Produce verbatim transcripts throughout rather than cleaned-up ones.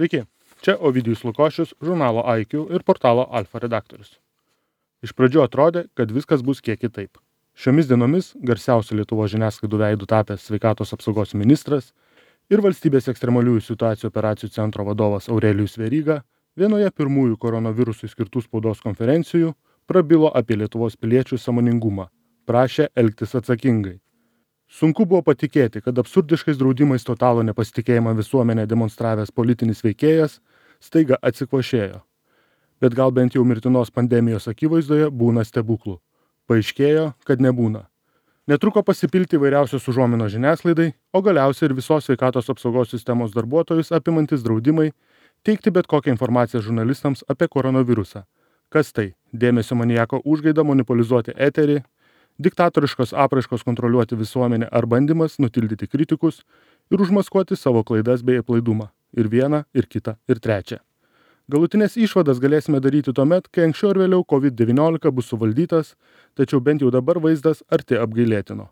Sveiki, čia Ovidijus Lukošius, žurnalo I Q ir portalo Alfa redaktorius. Iš pradžių atrodė, kad viskas bus kiek kitaip. Šiomis dienomis garsiausių Lietuvos žiniasklaidų veidų tapęs sveikatos apsaugos ministras ir valstybės ekstremaliųjų situacijų operacijų centro vadovas Aurelijus Veryga vienoje pirmųjų koronavirusui skirtų spaudos konferencijų prabilo apie Lietuvos piliečių sąmoningumą, prašė elgtis atsakingai. Sunku buvo patikėti, kad absurdiškais draudimais totalų nepasitikėjimą visuomenę demonstravęs politinis veikėjas staiga atsikvošėjo. Bet gal bent jau mirtinos pandemijos akivaizdoje būna stebuklų. Paaiškėjo, kad nebūna. Netruko pasipilti įvairiausios užuominos žiniasklaidai, o galiausiai ir visos sveikatos apsaugos sistemos darbuotojus apimantis draudimai teikti bet kokią informaciją žurnalistams apie koronavirusą. Kas tai? Dėmesio maniako užgaida monopolizuoti eterį, diktatoriškos apraiškos kontroliuoti visuomenę ar bandymas nutildyti kritikus ir užmaskuoti savo klaidas bei aplaidumą. Ir vieną, ir kitą, ir trečią. Galutinės išvadas galėsime daryti tuomet, kai anksčiau ir vėliau COVID devyniolika bus suvaldytas, tačiau bent jau dabar vaizdas arti apgailėtino.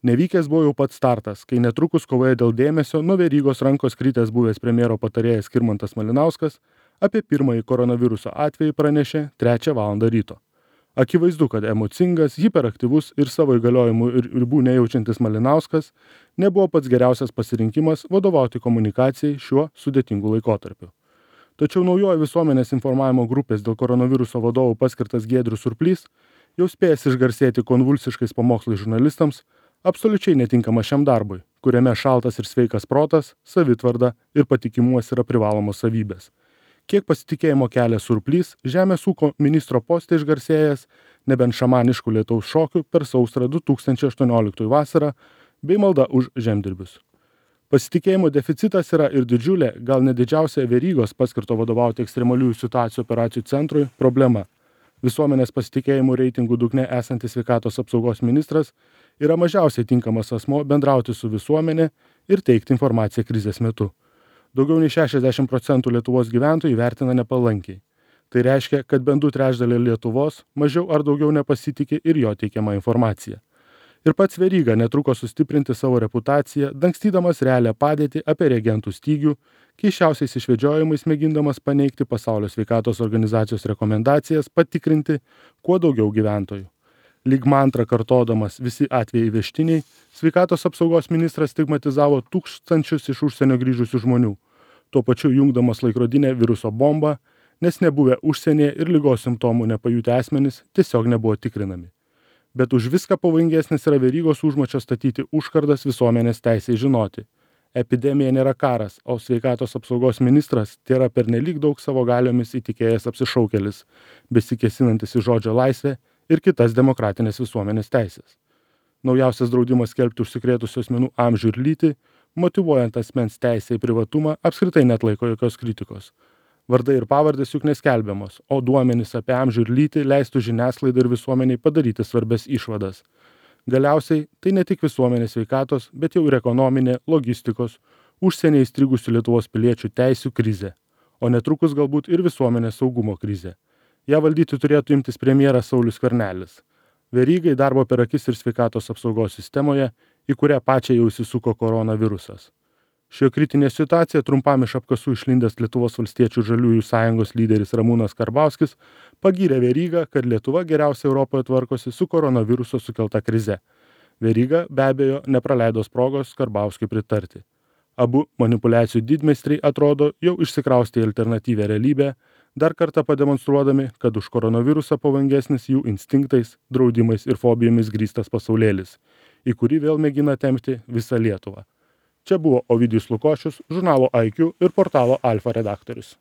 Nevykęs buvo jau pats startas, kai netrukus kovoje dėl dėmesio nuo Verygos rankos kritęs buvęs premjero patarėjas Skirmantas Malinauskas apie pirmąjį koronaviruso atvejį pranešė trečią valandą ryto. Akivaizdu, kad emocingas, hiperaktyvus ir savo įgaliojimų ir ribų nejaučiantis Malinauskas nebuvo pats geriausias pasirinkimas vadovauti komunikacijai šiuo sudėtingu laikotarpiu. Tačiau naujoji visuomenės informavimo grupės dėl koronaviruso vadovų paskirtas Giedrius Surplys, jau spėjęs išgarsėti konvulsiškais pamokslais žurnalistams, absoliučiai netinkamas šiam darbui, kuriame šaltas ir sveikas protas, savitvarda ir patikimumas yra privalomos savybės. Kiek pasitikėjimo kelia Surplys, žemės ūkio ministro poste išgarsėjęs, nebent šamaniškų lietaus šokių per sausrą du tūkstančiai aštuonioliktųjų vasarą, bei malda už žemdirbius. Pasitikėjimo deficitas yra ir didžiulė, gal ne didžiausia Verygos paskirto vadovauti ekstremaliųjų situacijų operacijų centrui problema. Visuomenės pasitikėjimų reitingų dugne esantis sveikatos apsaugos ministras yra mažiausiai tinkamas asmo bendrauti su visuomenė ir teikti informaciją krizės metu. Daugiau nei šešiasdešimt procentų Lietuvos gyventojų vertina nepalankiai. Tai reiškia, kad bent du trečdaliai Lietuvos mažiau ar daugiau nepasitikė ir jo teikiama informacija. Ir pats Veryga netruko sustiprinti savo reputaciją, dangstydamas realią padėtį apie reagentų stygių, keisčiausiais išvedžiojimais mėgindamas paneigti Pasaulio sveikatos organizacijos rekomendacijas patikrinti kuo daugiau gyventojų. Lyg mantrą kartodamas visi atvejai vežtiniai, sveikatos apsaugos ministras stigmatizavo tūkstančius iš užsienio grįžusių žmonių, tuo pačiu jungdamas laikrodinę viruso bombą, nes nebuvę užsienyje ir ligos simptomų nepajutę asmenys tiesiog nebuvo tikrinami. Bet už viską pavojingesnis yra Verygos užmačio statyti užkardas visuomenės teisei žinoti. Epidemija nėra karas, o sveikatos apsaugos ministras tėra pernelyg daug savo galiomis įtikėjęs apsišaukėlis, besikesinantis į žodžio laisvę ir kitas demokratinės visuomenės teisės. Naujausias draudimas skelbti užsikrėtusių asmenų amžių ir lytį, motyvuojant asmens teisę į privatumą, apskritai netlaiko jokios kritikos. Vardai ir pavardės juk neskelbiamos, o duomenys apie amžių ir lytį leistų žiniasklaidai ir visuomeniai padaryti svarbias išvadas. Galiausiai tai ne tik visuomenės sveikatos, bet jau ir ekonominė, logistikos, užsienyje įstrigusių Lietuvos piliečių teisių krizė, o netrukus galbūt ir visuomenės saugumo krizė. Ja valdyti turėtų imtis premjeras Saulius Skvernelis. Verygai darbo per akis ir sveikatos apsaugos sistemoje, į kurią pačią jau įsisuko koronavirusas. Šio kritinė situacija trumpam iš apkasų išlindęs Lietuvos valstiečių žaliųjų sąjungos lyderis Ramūnas Karbauskis pagyrė Verygą, kad Lietuva geriausiai Europoje tvarkosi su koronaviruso sukelta krize. Veryga be abejo nepraleido progos Karbauskiui pritarti. Abu manipuliacijų didmeistriai atrodo jau išsikraustė į alternatyvę realybę, dar kartą pademonstruodami, kad už koronavirusą pavojingesnis jų instinktais, draudimais ir fobijomis grįstas pasaulėlis, į kurį vėl mėgina tempti visą Lietuvą. Čia buvo Ovidijus Lukošius, žurnalo I Q ir portalo Alfa redaktorius.